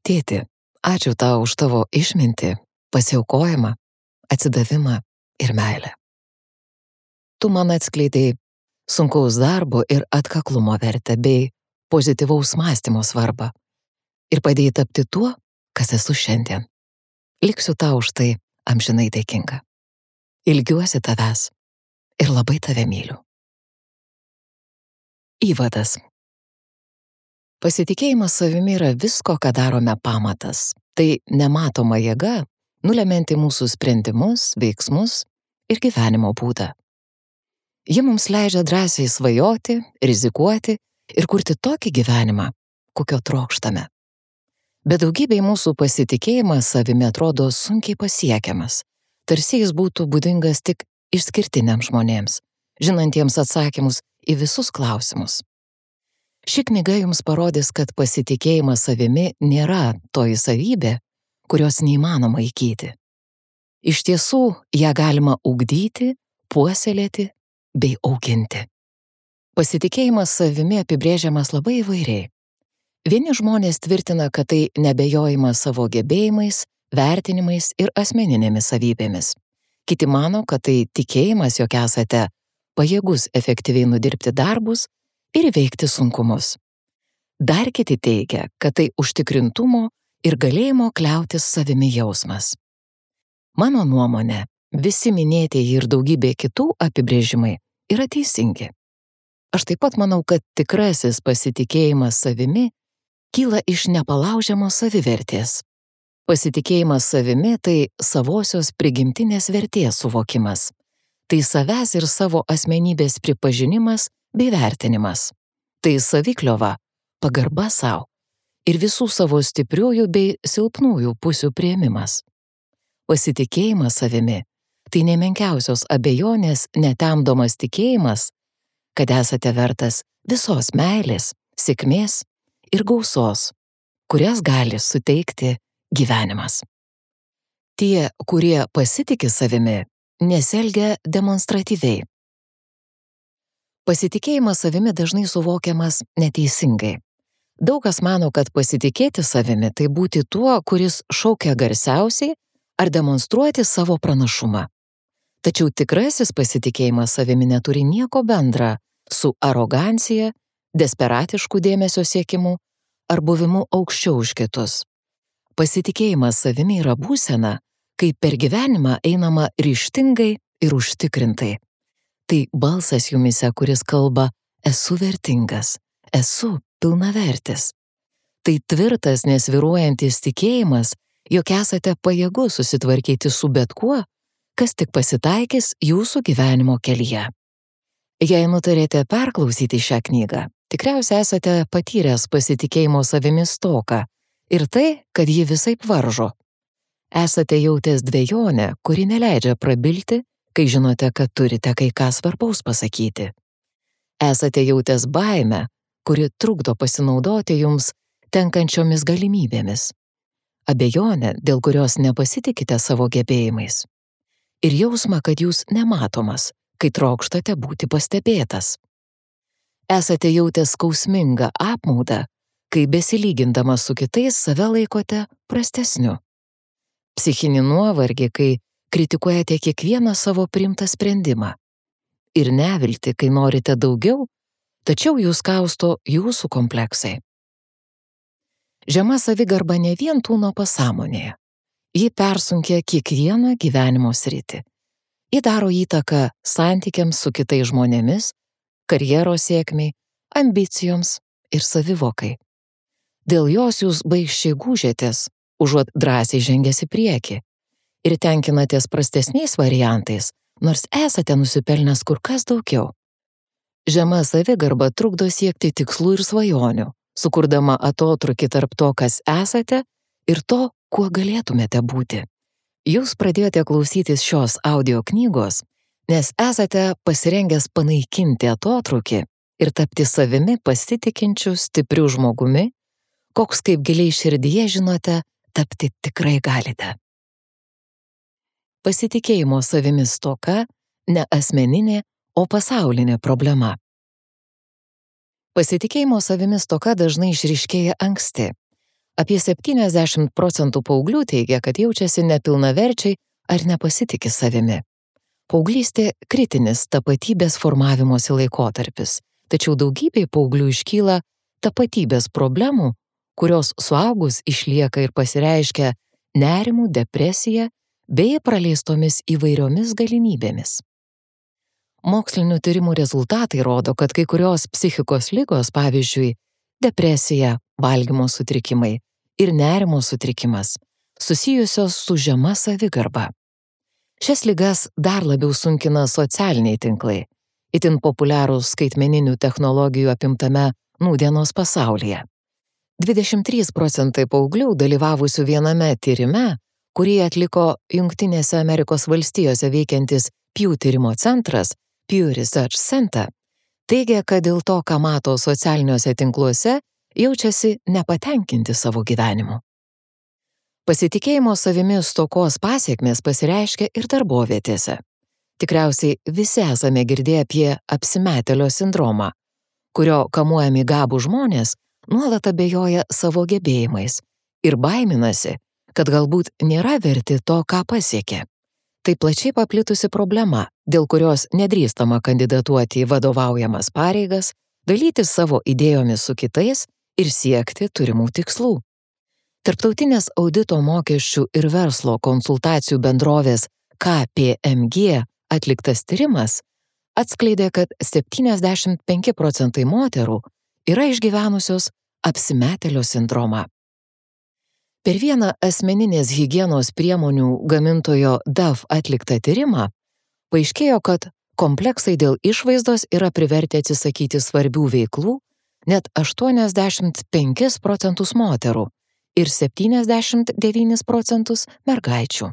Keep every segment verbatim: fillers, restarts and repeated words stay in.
Tėti, ačiū tau už tavo išmintį, pasiaukojimą, atsidavimą ir meilę. Tu man atskleidai sunkaus darbo ir atkaklumo vertę bei pozityvaus mąstymo svarbą ir padėjai tapti tuo, kas esu šiandien. Liksiu tau už tai amžinai dėkinga. Ilgiuosi tavęs ir labai tave myliu. Įvadas. Pasitikėjimas savimi yra visko, ką darome pamatas. Tai nematoma jėga, nulemianti mūsų sprendimus, veiksmus ir gyvenimo būdą. Ji mums leidžia drąsiai svajoti, rizikuoti ir kurti tokį gyvenimą, kokio trokštame. Bet daugybei mūsų pasitikėjimas savimi atrodo sunkiai pasiekiamas, tarsi jis būtų būdingas tik išskirtiniams žmonėms, žinantiems atsakymus į visus klausimus. Ši knyga jums parodys, kad pasitikėjimas savimi nėra toji savybė, kurios neįmanoma įgyti. Iš tiesų, ją galima ugdyti, puoselėti bei auginti. Pasitikėjimas savimi apibrėžiamas labai įvairiai. Vieni žmonės tvirtina, kad tai neabejojimas savo gebėjimais, vertinimais ir asmeninėmis savybėmis. Kiti mano, kad tai tikėjimas, jog esate pajėgus efektyviai nudirbti darbus ir įveikti sunkumus. Dar kiti teigia, kad tai užtikrintumo ir galėjimo kliautis savimi jausmas. Mano nuomonė, visi minėtieji ir daugybė kitų apibrėžimai yra teisingi. Aš taip pat manau, kad tikrasis pasitikėjimas savimi kyla iš nepalaužiamos savivertės. Pasitikėjimas savimi tai savosios prigimtinės vertės suvokimas. Tai savęs ir savo asmenybės pripažinimas bei vertinimas. Tai savikliova, pagarba savo ir visų savo stipriųjų bei silpnųjų pusių priėmimas. Pasitikėjimas savimi tai nemenkiausios abejonės netemdomas tikėjimas, kad esate vertas visos meilės, sėkmės ir gausos, kurias gali suteikti gyvenimas. Tie, kurie pasitiki savimi, nesielgia demonstratyviai. Pasitikėjimas savimi dažnai suvokiamas neteisingai. Daug kas mano, kad pasitikėti savimi tai būti tuo, kuris šaukia garsiausiai ar demonstruoti savo pranašumą. Tačiau tikrasis pasitikėjimas savimi neturi nieko bendra su arogancija, desperatišku dėmesio siekimu ar buvimu aukščiau už kitus. Pasitikėjimas savimi yra būsena, kai per gyvenimą einama ryžtingai ir užtikrintai. Tai balsas jumise, kuris kalba, esu vertingas, esu pilnavertis. Tai tvirtas, nesvyruojantis tikėjimas, jog esate pajėgus susitvarkyti su bet kuo, kas tik pasitaikys jūsų gyvenimo kelyje. Jei nutarėte perklausyti šią knygą, tikriausiai esate patyręs pasitikėjimo savimi stoką ir tai, kad ji visaip varžo. Esate jautęs dvejonę, kuri neleidžia prabilti, kai žinote, kad turite kai ką svarbaus pasakyti. Esate jautęs baimę, kuri trukdo pasinaudoti jums tenkančiomis galimybėmis. Abejonę, dėl kurios nepasitikite savo gebėjimais. Ir jausmą, kad jūs nematomas, kai trokštate būti pastebėtas. Esate jautęs skausmingą apmaudą, kai besilygindamas su kitais save laikote prastesniu. Psichinį nuovargį, kai kritikuojate kiekvieną savo priimtą sprendimą. Ir neviltį, kai norite daugiau, tačiau jūs kausto jūsų kompleksai. Žema savigarba ne vien tūno pasąmonėje. Ji persunkia kiekvieną gyvenimo sritį. Ji daro įtaką santykiams su kitais žmonėmis, karjeros sėkmei, ambicijoms ir savivokai. Dėl jos jūs baigščiai gūžėtės, užuot drąsiai žengęs į priekį, ir tenkinatės prastesniais variantais, nors esate nusipelnęs kur kas daugiau. Žema savigarba trukdo siekti tikslų ir svajonių, sukurdama atotrūkį tarp to, kas esate, ir to, kuo galėtumėte būti. Jūs pradėjote klausytis šios audio knygos, nes esate pasirengęs panaikinti atotrūkį ir tapti savimi pasitikinčiu stipriu žmogumi, koks kaip giliai širdyje žinote, tapti tikrai galite. Pasitikėjimo savimi stoka ne asmeninė, o pasaulinė problema. Pasitikėjimo savimi stoka dažnai išryškėja anksti. Apie septyniasdešimt procentų paauglių teigia, kad jaučiasi nepilnaverčiai ar nepasitiki savimi. Paauglystė kritinis tapatybės formavimosi laikotarpis, tačiau daugybei paauglių iškyla tapatybės problemų, kurios suaugus išlieka ir pasireiškia nerimu, depresija bei praleistomis įvairiomis galimybėmis. Mokslinių tyrimų rezultatai rodo, kad kai kurios psichikos ligos, pavyzdžiui, depresija, valgymo sutrikimai ir nerimo sutrikimas, susijusios su žema savigarba. Šias ligas dar labiau sunkina socialiniai tinklai, itin populiarūs skaitmeninių technologijų apimtame nūdienos pasaulyje. dvidešimt trys procentai paauglių dalyvavusių viename tyrime, kurį atliko Jungtinėse Amerikos valstijose veikiantis Pew tyrimo centras, Pew Research Center, teigia, kad dėl to, ką mato socialiniuose tinkluose, jaučiasi nepatenkinti savo gyvenimu. Pasitikėjimo savimi stokos pasekmės pasireiškia ir darbovietėse. Tikriausiai visi esame girdėję apie apsimetėlio sindromą, kurio kamuojami gabų žmonės nuolat abejoja savo gebėjimais ir baiminasi, kad galbūt nėra verti to, ką pasiekė. Tai plačiai paplitusi problema, dėl kurios nedrįstama kandidatuoti į vadovaujamas pareigas, dalytis savo idėjomis su kitais ir siekti turimų tikslų. Tarptautinės audito mokesčių ir verslo konsultacijų bendrovės K P M G atliktas tyrimas atskleidė, kad septyniasdešimt penki procentai moterų yra išgyvenusios apsimetėlio sindromą. Per vieną asmeninės higienos priemonių gamintojo Dove atliktą tyrimą paaiškėjo, kad kompleksai dėl išvaizdos yra privertę atsisakyti svarbių veiklų net aštuoniasdešimt penkis procentus moterų ir septyniasdešimt devynis procentus mergaičių.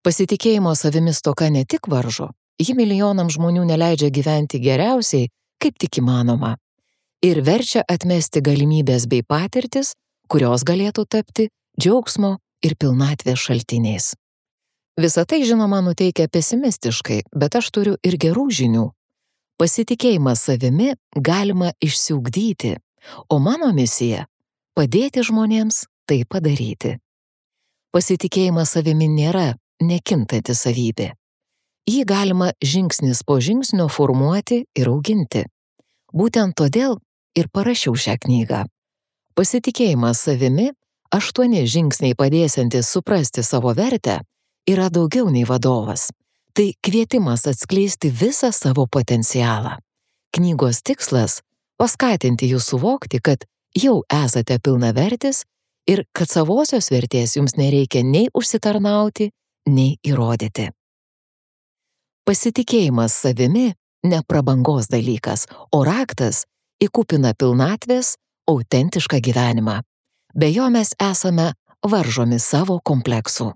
Pasitikėjimo savimi stoka ne tik varžo, ji milijonams žmonių neleidžia gyventi geriausiai, kaip tik įmanoma, ir verčia atmesti galimybės bei patirtis, kurios galėtų tapti džiaugsmo ir pilnatvės šaltiniais. Visa tai, žinoma, nuteikia pesimistiškai, bet aš turiu ir gerų žinių. Pasitikėjimą savimi galima išsiugdyti, o mano misija – padėti žmonėms tai padaryti. Pasitikėjimas savimi nėra nekintanti savybė. Jį galima žingsnis po žingsnio formuoti ir auginti. Būtent todėl ir parašiau šią knygą. Pasitikėjimas savimi, aštuoni žingsniai padėsiantis suprasti savo vertę, yra daugiau nei vadovas. Tai kvietimas atskleisti visą savo potencialą. Knygos tikslas – paskatinti jūs suvokti, kad jau esate pilnavertis ir kad savosios vertės jums nereikia nei užsitarnauti, nei įrodyti. Pasitikėjimas savimi ne prabangos dalykas, o raktas į kupiną pilnatvės, autentišką gyvenimą. Be jo mes esame varžomi savo kompleksų.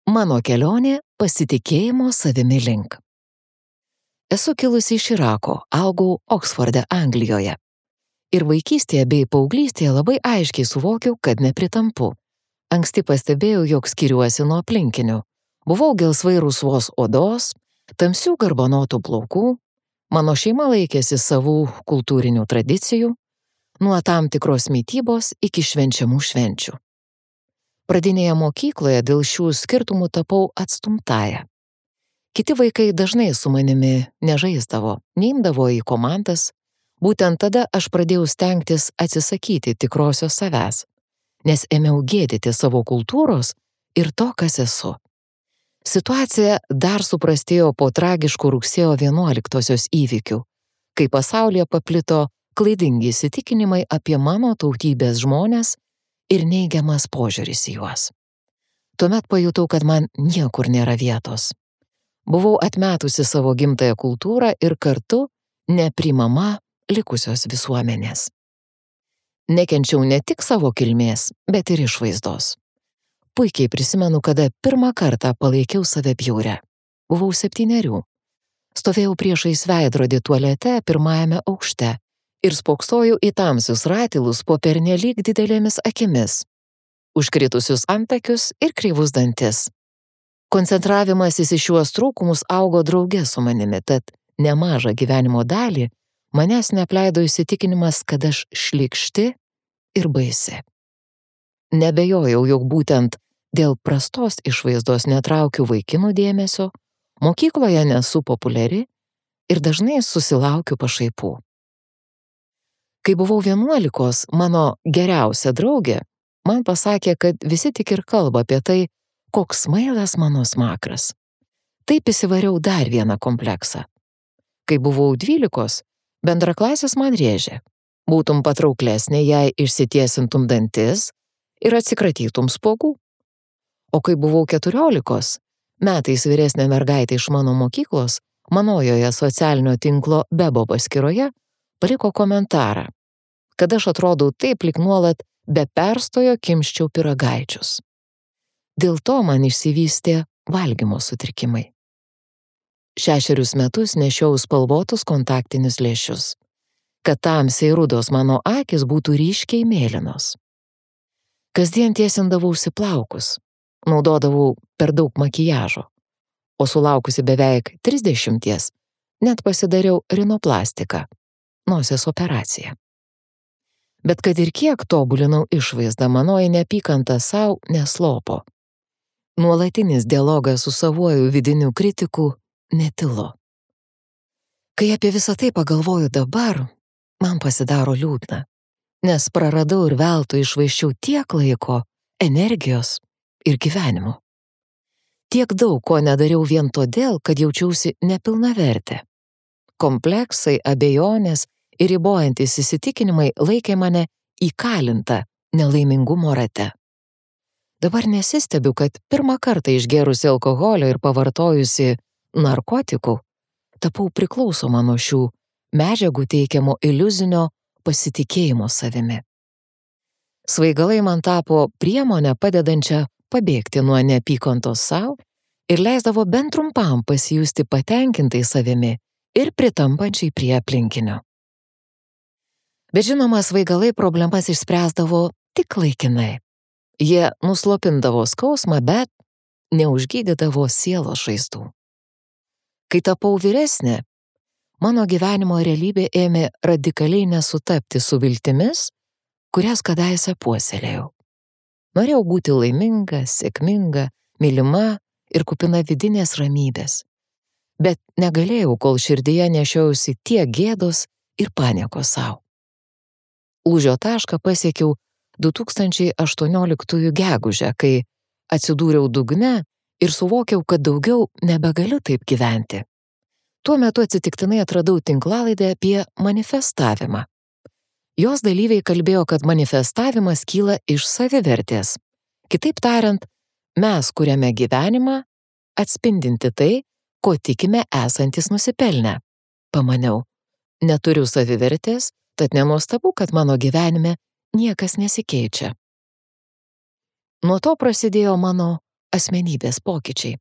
Mano kelionė pasitikėjimo savimi link. Esu kilusi iš Irako, augau Oksforde, Anglijoje. Ir vaikystėje bei paauglystėje labai aiškiai suvokiau, kad nepritampu. Anksti pastebėjau, jog skiriuosi nuo aplinkinių. Buvau gelsvai rusvos odos, tamsių garbanotų plaukų, mano šeima laikėsi savų kultūrinių tradicijų, nuo tam tikros mitybos iki švenčiamų švenčių. Pradinėje mokykloje dėl šių skirtumų tapau atstumtąja. Kiti vaikai dažnai su manimi nežaisdavo, neimdavo į komandas. Būtent tada aš pradėjau stengtis atsisakyti tikrosios savęs, nes ėmiau gėdyti savo kultūros ir to, kas esu. Situacija dar suprastėjo po tragiškų rugsėjo vienuoliktosios įvykių, kai pasaulyje paplito klaidingi įsitikinimai apie mano tautybės žmones ir neigiamas požiūris į juos. Tuomet pajutau, kad man niekur nėra vietos. Buvau atmetusi savo gimtąją kultūrą ir kartu neprimama likusios visuomenės. Nekenčiau ne tik savo kilmės, bet ir išvaizdos. Puikiai prisimenu, kada pirmą kartą palaikiau save bjaurią. Buvau septynerių. Stovėjau priešais veidrodį tualete pirmajame aukšte ir spoksojau į tamsius ratilus po pernelyg didelėmis akimis, užkritusius antakius ir kreivus dantis. Koncentravimasis į šiuos trūkumus augo drauge su manimi, tad nemažą gyvenimo dalį manęs neapleido įsitikinimas, kad aš šlykšti ir baisi. Nebejojau, jog būtent dėl prastos išvaizdos netraukiu vaikinų dėmesio, mokykloje nesu populiari ir dažnai susilaukiu pašaipų. Kai buvau vienuolikos, mano geriausia draugė man pasakė, kad visi tik ir kalba apie tai, koks smailas mano smakras. Taip įsivariau dar vieną kompleksą. Kai buvau dvylikos, bendraklasis man rėžė. Būtum patrauklesnė, jei išsitiesintum dantis ir atsikratytum spuogų. O kai buvau keturiolikos, metais vyresnė mergaitė iš mano mokyklos, manojoje socialinio tinklo Bebo paskyroje, paliko komentarą, kad aš atrodau taip, lyg nuolat be perstojo kimščiau pyragaičius. Dėl to man išsivystė valgymo sutrikimai. Šešerius metus nešiau spalvotus kontaktinius lęšius, kad tamsiai rudos mano akys būtų ryškiai mėlynos. Kasdien tiesindavausi plaukus, naudodavau per daug makiažo, o sulaukusi beveik trisdešimties, net pasidariau rinoplastiką, nosies operaciją. Bet kad ir kiek tobulinau išvaizdą, manoji neapykanta sau neslopo. Nuolatinis dialogas su savuoju vidiniu kritiku netilo. Kai apie visą tai pagalvoju dabar, man pasidaro liūdna, nes praradau ir veltui išvaiščiau tiek laiko, energijos ir gyvenimo. Tiek daug ko nedariau vien todėl, kad jaučiausi nepilnavertė. Kompleksai, abejonės ir ribojantys įsitikinimai laikė mane įkalintą nelaimingumo rate. Dabar nesistebiu, kad pirmą kartą išgėrusi alkoholio ir pavartojusi narkotikų, tapau priklausoma nuo šių medžiagų teikiamo iliuzinio pasitikėjimo savimi. Svaigalai man tapo priemonę padedančią pabėgti nuo neapykantos sau ir leisdavo bent trumpam pasijusti patenkintai savimi ir pritampančiai prie aplinkinio. Bet žinoma, svaigalai problemas išspręsdavo tik laikinai. Jie nuslopindavo skausmą, bet neužgydydavo sielos žaizdų. Kai tapau vyresnė, mano gyvenimo realybė ėmė radikaliai nesutapti su viltimis, kurias kadaise puoselėjau. Norėjau būti laiminga, sėkminga, mylima ir kupina vidinės ramybės. Bet negalėjau, kol širdyje nešiausi tiek gėdos ir paniekos sau. Lūžio tašką pasiekiau du tūkstančiai aštuonioliktųjų gegužę, kai atsidūriau dugne ir suvokiau, kad daugiau nebegaliu taip gyventi. Tuo metu atsitiktinai atradau tinklalaidę apie manifestavimą. Jos dalyviai kalbėjo, kad manifestavimas kyla iš savivertės. Kitaip tariant, mes kuriame gyvenimą, atspindinti tai, ko tikime esantis nusipelnę. Pamaniau, neturiu savivertės, tad nenuostabu, kad mano gyvenime niekas nesikeičia. Nuo to prasidėjo mano asmenybės pokyčiai.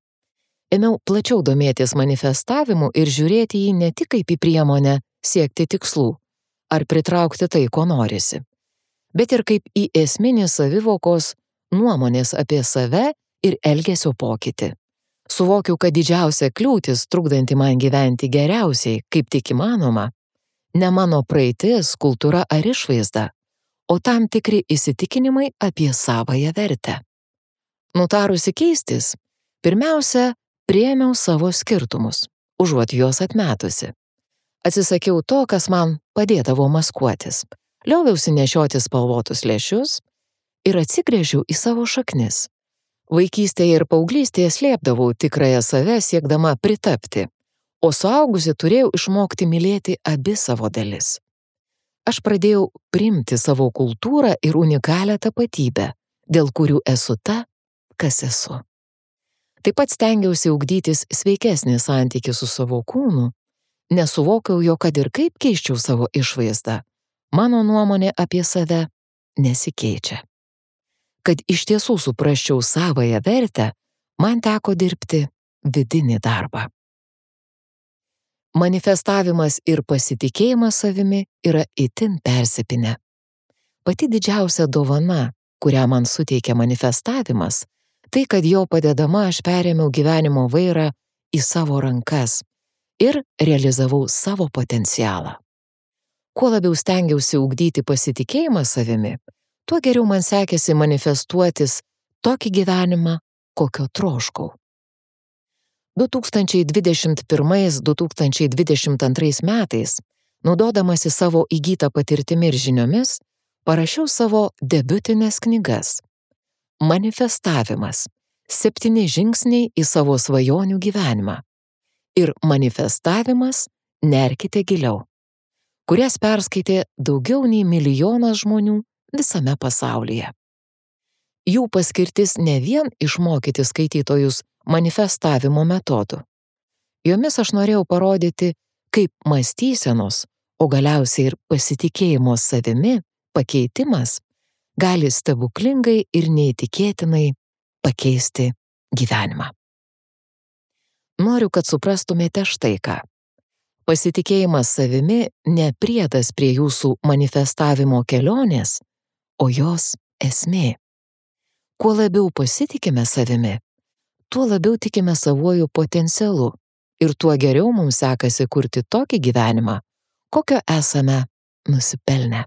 Ėmiau plačiau domėtis manifestavimu ir žiūrėti jį ne tik kaip į priemonę siekti tikslų ar pritraukti tai, ko norisi, bet ir kaip į esminį savivokos, nuomonės apie save ir elgesio pokytį. Suvokiau, kad didžiausia kliūtis, trukdanti man gyventi geriausiai, kaip tik įmanoma, ne mano praeitis, kultūra ar išvaizda, o tam tikri įsitikinimai apie savąją vertę. Nutarusi keistis, pirmiausia, priėmiau savo skirtumus, užuot juos atmetusi. Atsisakiau to, kas man padėdavo maskuotis, lioviausi nešioti spalvotus lęšius ir atsigręžiau į savo šaknis. Vaikystėje ir paauglystėje slėpdavau tikrąją save siekdama pritapti, o suaugusi turėjau išmokti mylėti abi savo dalis. Aš pradėjau priimti savo kultūrą ir unikalią tapatybę, dėl kurių esu ta, kas esu. Taip pat stengiausi ugdytis sveikesnį santykį su savo kūnu, nesuvokiau jo, kad ir kaip keisčiau savo išvaizdą, mano nuomonė apie save nesikeičia. Kad iš tiesų suprasčiau savąją vertę, man teko dirbti vidinį darbą. Manifestavimas ir pasitikėjimas savimi yra itin persipinę. Pati didžiausia dovana, kurią man suteikė manifestavimas, tai, kad jo padedama aš perėmiau gyvenimo vairą į savo rankas ir realizavau savo potencialą. Kuo labiau stengiausi ugdyti pasitikėjimą savimi, tuo geriau man sekėsi manifestuotis tokį gyvenimą, kokio troškau. du tūkstančiai dvidešimt pirmais - du tūkstančiai dvidešimt antrais metais, naudodamasi savo įgytą patirtimi ir žiniomis, parašiau savo debiutines knygas. Manifestavimas - septyni žingsniai į savo svajonių gyvenimą. Ir manifestavimas - nerkite giliau, kurias perskaitė daugiau nei milijonas žmonių visame pasaulyje. Jų paskirtis ne vien išmokyti skaitytojus manifestavimo metodų. Jomis aš norėjau parodyti, kaip mąstysenos, o galiausiai ir pasitikėjimo savimi pakeitimas gali stebuklingai ir neįtikėtinai pakeisti gyvenimą. Noriu, kad suprastumėte štai ką. Pasitikėjimas savimi ne priedas prie jūsų manifestavimo kelionės, o jos esmė. Kuo labiau pasitikime savimi, tuo labiau tikime savuoju potencialu ir tuo geriau mums sekasi kurti tokį gyvenimą, kokio esame nusipelnę.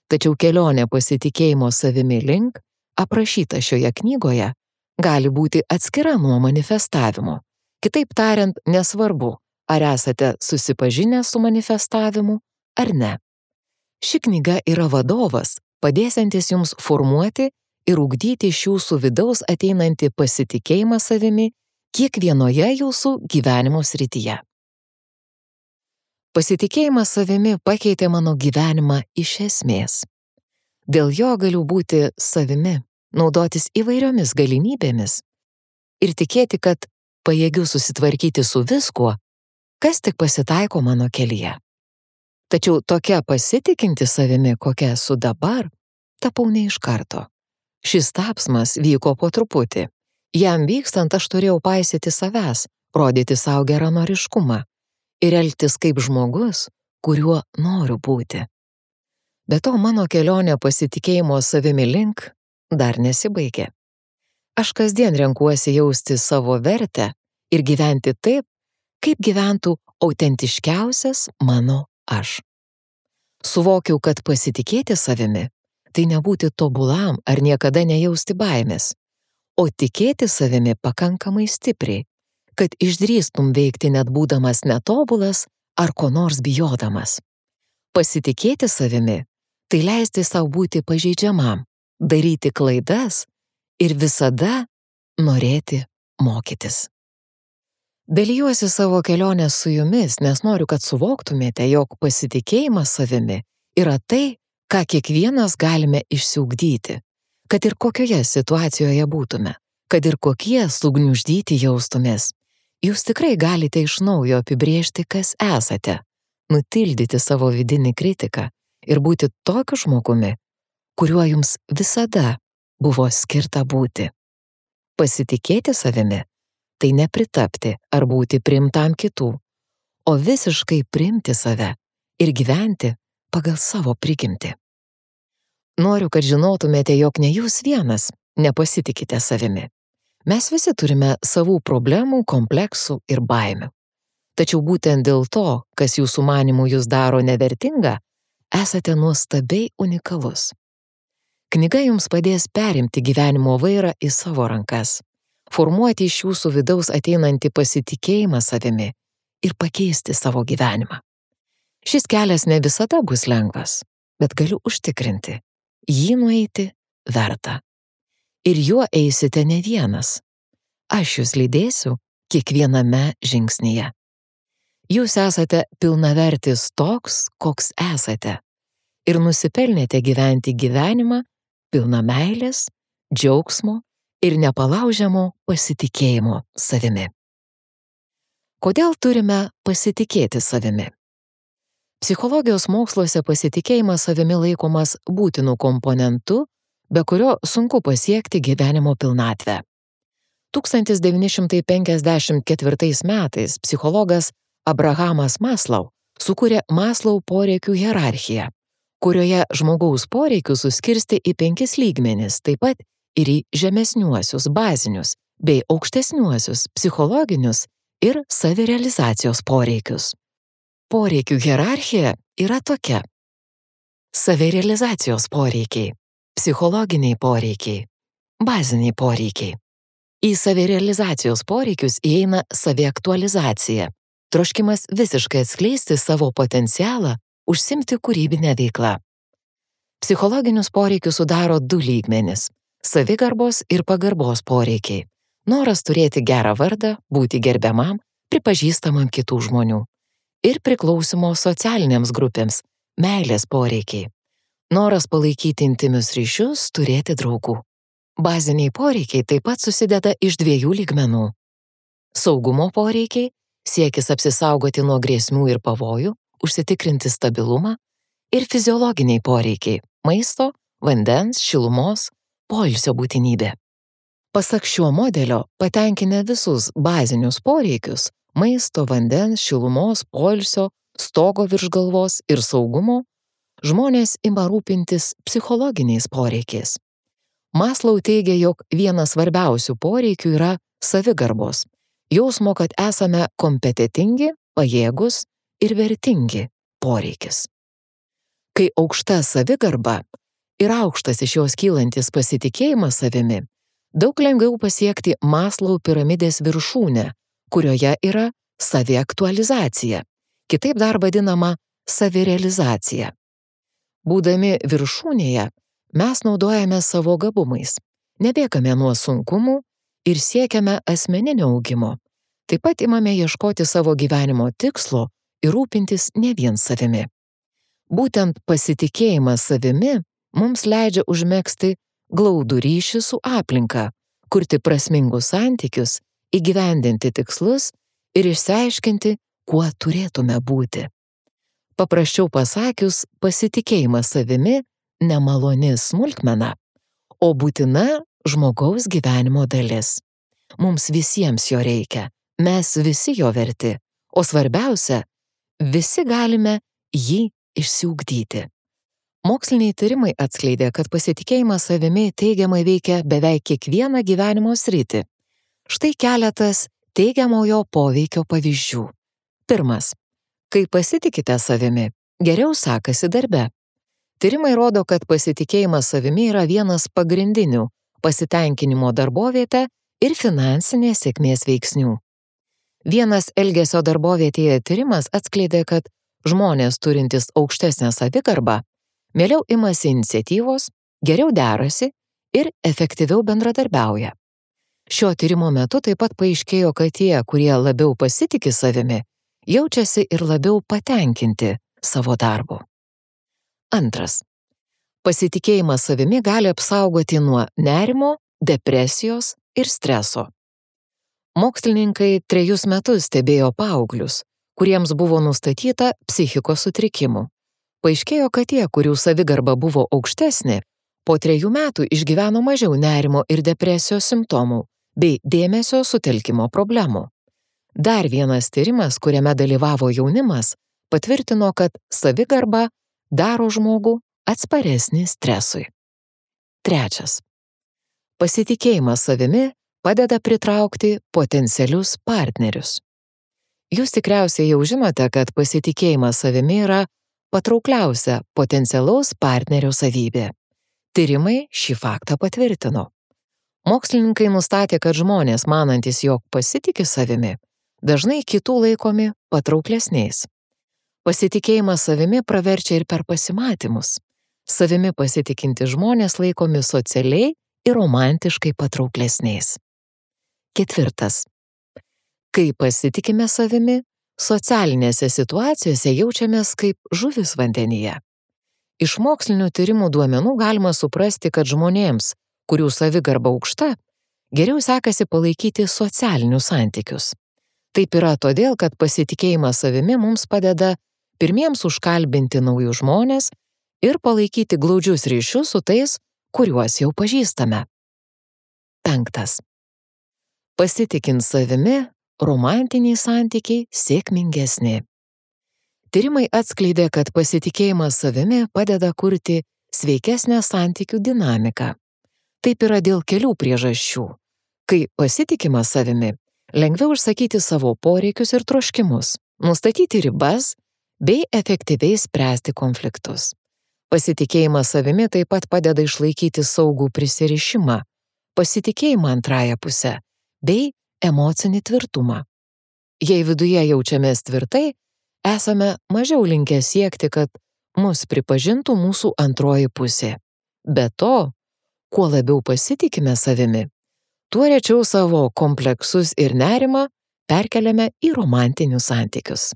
Tačiau kelionė pasitikėjimo savimi link, aprašyta šioje knygoje, gali būti atskira nuo manifestavimo. Kitaip tariant, nesvarbu, ar esate susipažinę su manifestavimu ar ne. Ši knyga yra vadovas, padėsiantis jums formuoti ir ugdyti iš jūsų vidaus ateinantį pasitikėjimą savimi kiekvienoje jūsų gyvenimo srityje. Pasitikėjimas savimi pakeitė mano gyvenimą iš esmės. Dėl jo galiu būti savimi, naudotis įvairiomis galimybėmis ir tikėti, kad pajėgiu susitvarkyti su viskuo, kas tik pasitaiko mano kelyje. Tačiau tokia pasitikinti savimi, kokia esu dabar, tapau ne iš karto. Šis tapsmas vyko po truputį. Jam vykstant aš turėjau paisyti savęs, rodyti savo geranoriškumą ir elgtis kaip žmogus, kuriuo noriu būti. Be to, mano kelionė pasitikėjimo savimi link dar nesibaigė. Aš kasdien renkuosi jausti savo vertę ir gyventi taip, kaip gyventų autentiškiausias mano aš. Suvokiau, kad pasitikėti savimi tai nebūti tobulam ar niekada nejausti baimės, o tikėti savimi pakankamai stipriai, kad išdrįstum veikti net būdamas netobulas ar ko nors bijodamas. Pasitikėti savimi tai leisti savo būti pažeidžiamam, daryti klaidas ir visada norėti mokytis. Dalijuosi savo kelionę su jumis, nes noriu, kad suvoktumėte, jog pasitikėjimas savimi yra tai, ką kiekvienas galime išsiugdyti, kad ir kokioje situacijoje būtume, kad ir kokie sugniuždyti jaustumės. Jūs tikrai galite iš naujo apibrėžti, kas esate, nutildyti savo vidinį kritiką ir būti tokiu žmogumi, kuriuo jums visada buvo skirta būti. Pasitikėti savimi tai nepritapti ar būti priimtam kitų, o visiškai priimti save ir gyventi pagal savo prigimtį. Noriu, kad žinotumėte, jog ne jūs vienas nepasitikite savimi. Mes visi turime savų problemų, kompleksų ir baimių. Tačiau būtent dėl to, kas jūsų manymų jūs daro nevertinga, esate nuostabiai unikalus. Knyga jums padės perimti gyvenimo vairą į savo rankas, formuoti iš jūsų vidaus ateinantį pasitikėjimą savimi ir pakeisti savo gyvenimą. Šis kelias ne visada bus lengvas, bet galiu užtikrinti, jį nueiti verta. Ir juo eisite ne vienas. Aš jūs lydėsiu kiekviename žingsnyje. Jūs esate pilnavertis toks, koks esate, ir nusipelnėte gyventi gyvenimą pilną meilės, džiaugsmo ir nepalaužiamo pasitikėjimo savimi. Kodėl turime pasitikėti savimi? Psichologijos moksluose pasitikėjimas savimi laikomas būtinu komponentu, be kurio sunku pasiekti gyvenimo pilnatvę. tūkstantis devyni šimtai penkiasdešimt ketvirtais metais psichologas Abrahamas Maslau sukūrė Maslau poreikių hierarchiją, kurioje žmogaus poreikius suskirstė į penkis lygmenis, taip pat ir į žemesniuosius, bazinius, bei aukštesniuosius, psichologinius ir savirealizacijos poreikius. Poreikių hierarchija yra tokia. Savirealizacijos poreikiai Psichologiniai poreikiai. Baziniai poreikiai. Į savirealizacijos poreikius įeina saviaktualizacija, troškimas visiškai atskleisti savo potencialą, užsimti kūrybinę veiklą. Psichologinius poreikius sudaro du lygmenis – savigarbos ir pagarbos poreikiai. Noras turėti gerą vardą, būti gerbiamam, pripažįstamam kitų žmonių. Ir priklausimo socialinėms grupėms – meilės poreikiai. Noras palaikyti intimius ryšius, turėti draugų. Baziniai poreikiai taip pat susideda iš dviejų lygmenų. Saugumo poreikiai – siekis apsisaugoti nuo grėsmių ir pavojų, užsitikrinti stabilumą, ir fiziologiniai poreikiai – maisto, vandens, šilumos, poilsio būtinybė. Pasak šio modelio, patenkinę visus bazinius poreikius – maisto, vandens, šilumos, poilsio, stogo virš galvos ir saugumo – žmonės ima rūpintis psichologiniais poreikiais. Maslau teigia, jog vienas svarbiausių poreikių yra savigarbos, jausmo, kad esame kompetentingi, pajėgus ir vertingi poreikis. Kai aukšta savigarba ir aukštas iš jos kylantis pasitikėjimas savimi, daug lengviau pasiekti Maslau piramidės viršūnę, kurioje yra saviaktualizacija, kitaip dar vadinama savirealizacija. Būdami viršūnėje, mes naudojame savo gabumais, nebėgame nuo sunkumų ir siekiame asmeninio augimo. Taip pat imame ieškoti savo gyvenimo tikslo ir rūpintis ne vien savimi. Būtent pasitikėjimas savimi mums leidžia užmegzti glaudų ryšį su aplinka, kurti prasmingus santykius, įgyvendinti tikslus ir išsiaiškinti, kuo turėtume būti. Paprasčiau pasakius, pasitikėjimas savimi nemaloni smulkmena, o būtina žmogaus gyvenimo dalis. Mums visiems jo reikia, mes visi jo verti, o svarbiausia, visi galime jį išsiugdyti. Moksliniai tyrimai atskleidė, kad pasitikėjimas savimi teigiamai veikia beveik kiekvieną gyvenimo sritį. Štai keletas teigiamojo poveikio pavyzdžių. Pirmas. Kai pasitikite savimi, geriau sekasi darbe. Tyrimai rodo, kad pasitikėjimas savimi yra vienas pagrindinių pasitenkinimo darbovietę ir finansinės sėkmės veiksnių. Vienas elgesio darbovietėje tyrimas atskleidė, kad žmonės turintys aukštesnę savigarbą mieliau imasi iniciatyvos, geriau derasi ir efektyviau bendradarbiauja. Šio tyrimo metu taip pat paaiškėjo, kad tie, kurie labiau pasitiki savimi, jaučiasi ir labiau patenkinti savo darbu. Antras. Pasitikėjimas savimi gali apsaugoti nuo nerimo, depresijos ir streso. Mokslininkai trejus metus stebėjo paauglius, kuriems buvo nustatyta psichikos sutrikimų. Paaiškėjo, kad tie, kurių savigarba buvo aukštesnė, po trejų metų išgyveno mažiau nerimo ir depresijos simptomų bei dėmesio sutelkimo problemų. Dar vienas tyrimas, kuriame dalyvavo jaunimas, patvirtino, kad savigarba daro žmogų atsparesnį stresui. Trečias. Pasitikėjimas savimi padeda pritraukti potencialius partnerius. Jūs tikriausiai jau žinote, kad pasitikėjimas savimi yra patraukliausia potencialaus partnerio savybė. Tyrimai šį faktą patvirtino. Mokslininkai nustatė, kad žmonės, manantys, jog pasitiki savimi, dažnai kitų laikomi patrauklesniais. Pasitikėjimas savimi praverčia ir per pasimatymus. Savimi pasitikinti žmonės laikomi socialiai ir romantiškai patrauklesniais. Ketvirtas. Kai pasitikime savimi, socialinėse situacijose jaučiamės kaip žuvis vandenyje. Iš mokslinių tyrimų duomenų galima suprasti, kad žmonėms, kurių savigarba aukšta, geriau sekasi palaikyti socialinius santykius. Taip yra todėl, kad pasitikėjimas savimi mums padeda pirmiems užkalbinti naujus žmones ir palaikyti glaudžius ryšius su tais, kuriuos jau pažįstame. Penktas. Pasitikint savimi, romantiniai santykiai sėkmingesni. Tyrimai atskleidė, kad pasitikėjimas savimi padeda kurti sveikesnę santykių dinamiką. Taip yra dėl kelių priežasčių. Kai pasitikima savimi, lengviau išsakyti savo poreikius ir troškimus, nustatyti ribas bei efektyviai spręsti konfliktus. Pasitikėjimas savimi taip pat padeda išlaikyti saugų prisirišimą, pasitikėjimą antrąją pusę bei emocinį tvirtumą. Jei viduje jaučiamės tvirtai, esame mažiau linkę siekti, kad mus pripažintų mūsų antroji pusė. Be to, kuo labiau pasitikime savimi, tuo rečiau savo kompleksus ir nerimą perkeliame į romantinius santykius.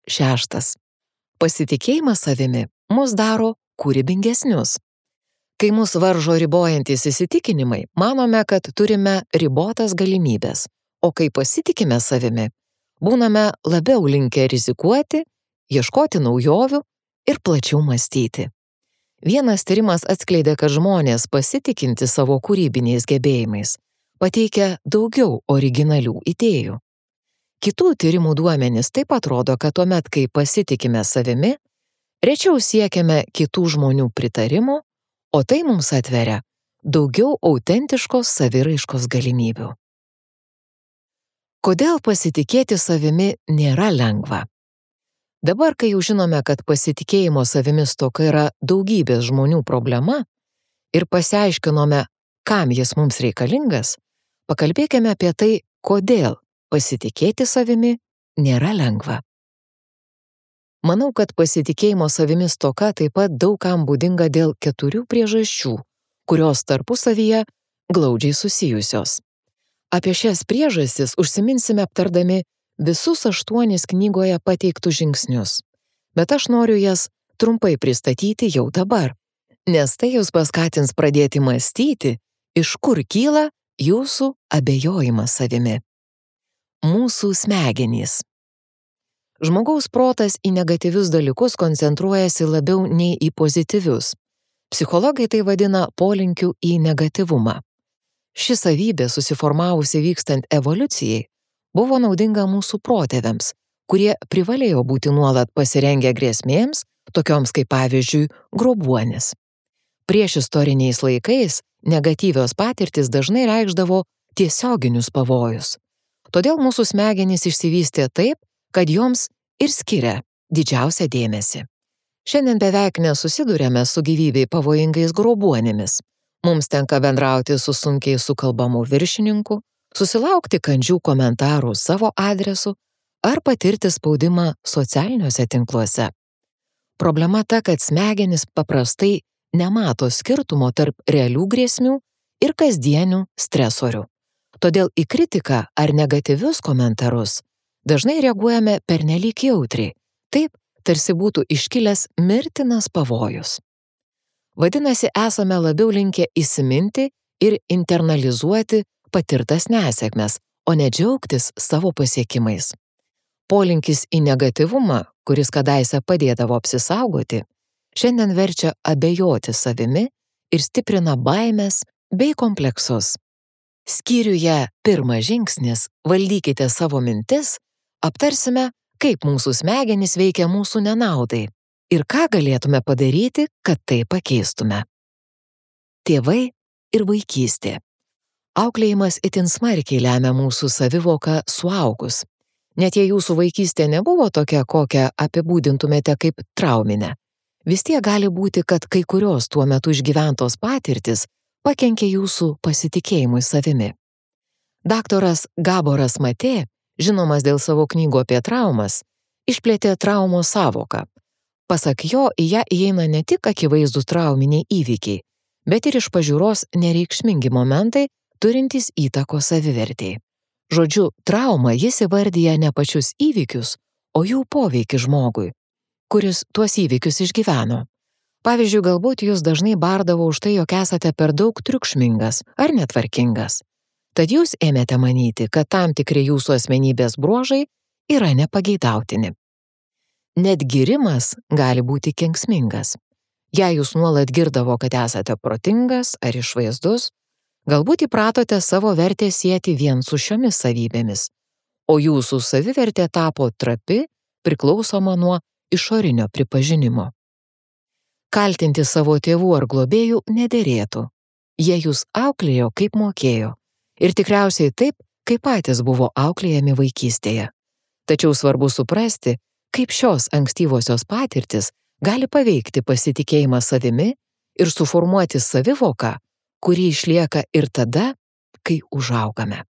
Šeštas. Pasitikėjimas savimi mus daro kūrybingesnius. Kai mus varžo ribojantis įsitikinimai, manome, kad turime ribotas galimybės, o kai pasitikime savimi, būname labiau linkę rizikuoti, ieškoti naujovių ir plačiau mąstyti. Vienas tyrimas atskleidė, kad žmonės pasitikinti savo kūrybiniais gebėjimais pateikia daugiau originalių idėjų. Kitų tyrimų duomenys taip pat rodo, kad tuomet, kai pasitikime savimi, rečiau siekiame kitų žmonių pritarimo, o tai mums atveria daugiau autentiškos saviraiškos galimybių. Kodėl pasitikėti savimi nėra lengva? Dabar, kai jau žinome, kad pasitikėjimo savimi stoka yra daugybės žmonių problema ir pasiaiškinome, kam jis mums reikalingas, pakalbėkime apie tai, kodėl pasitikėti savimi nėra lengva. Manau, kad pasitikėjimo savimi stoka taip pat daug kam būdinga dėl keturių priežasčių, kurios tarpusavyje glaudžiai susijusios. Apie šias priežastis užsiminsime aptardami visus aštuonis knygoje pateiktus žingsnius, bet aš noriu jas trumpai pristatyti jau dabar, nes tai jūs paskatins pradėti mąstyti, iš kur kyla jūsų abejojimas savimi. Mūsų smegenys. Žmogaus protas į negatyvius dalykus koncentruojasi labiau nei į pozityvius. Psichologai tai vadina polinkiu į negatyvumą. Ši savybė, susiformavusi vykstant evoliucijai, buvo naudinga mūsų protėviams, kurie privalėjo būti nuolat pasirengę grėsmėms, tokioms kaip pavyzdžiui grobuonis. Priešistoriniais laikais negatyvios patirtys dažnai reikšdavo tiesioginius pavojus. Todėl mūsų smegenys išsivystė taip, kad joms ir skiria didžiausią dėmesį. Šiandien beveik nesusiduriame su gyvybei pavojingais grobuonimis. Mums tenka bendrauti su sunkiai sukalbamu viršininku, susilaukti kandžių komentarų savo adresu ar patirti spaudimą socialiniuose tinkluose. Problema ta, kad smegenys paprastai nemato skirtumo tarp realių grėsmių ir kasdienių stresorių. Todėl į kritiką ar negatyvius komentarus dažnai reaguojame pernelyg jautriai, taip, tarsi būtų iškilęs mirtinas pavojus. Vadinasi, esame labiau linkę įsiminti ir internalizuoti patirtas nesėkmes, o ne džiaugtis savo pasiekimais. Polinkis į negatyvumą, kuris kadaise padėdavo apsisaugoti, šiandien verčia abejoti savimi ir stiprina baimes bei kompleksus. Skyriuje Pirmas žingsnis – valdykite savo mintis, aptarsime, kaip mūsų smegenys veikia mūsų nenaudai ir ką galėtume padaryti, kad tai pakeistume. Tėvai ir vaikystė. Auklėjimas itin smarkiai lemia mūsų savivoką suaugus. Net jei jūsų vaikystė nebuvo tokia, kokią apibūdintumėte kaip trauminę, vis tiek gali būti, kad kai kurios tuo metu išgyventos patirtis pakenkė jūsų pasitikėjimui savimi. Daktaras Gaboras Matė, žinomas dėl savo knygų apie traumas, išplėtė traumos sąvoką. Pasak jo, į ją įeina ne tik akivaizdūs trauminiai įvykiai, bet ir iš pažiūros nereikšmingi momentai, turintys įtakos savivertei. Žodžiu, trauma jis įvardyja ne pačius įvykius, o jų poveikį žmogui, kuris tuos įvykius išgyveno. Pavyzdžiui, galbūt jūs dažnai bardavo už tai, jog esate per daug triukšmingas ar netvarkingas. Tad jūs ėmėte manyti, kad tam tikri jūsų asmenybės bruožai yra nepageidautini. Net gyrimas gali būti kenksmingas. Jei jūs nuolat girdavo, kad esate protingas ar išvaizdus, galbūt įpratote savo vertę sieti vien su šiomis savybėmis, o jūsų savivertė tapo trapi, priklausoma nuo išorinio pripažinimo. Kaltinti savo tėvų ar globėjų nederėtų. Jie jūs auklėjo, kaip mokėjo, ir tikriausiai taip, kaip patys buvo auklėjami vaikystėje. Tačiau svarbu suprasti, kaip šios ankstyvosios patirtis gali paveikti pasitikėjimą savimi ir suformuoti savivoką, kuri išlieka ir tada, kai užaugame.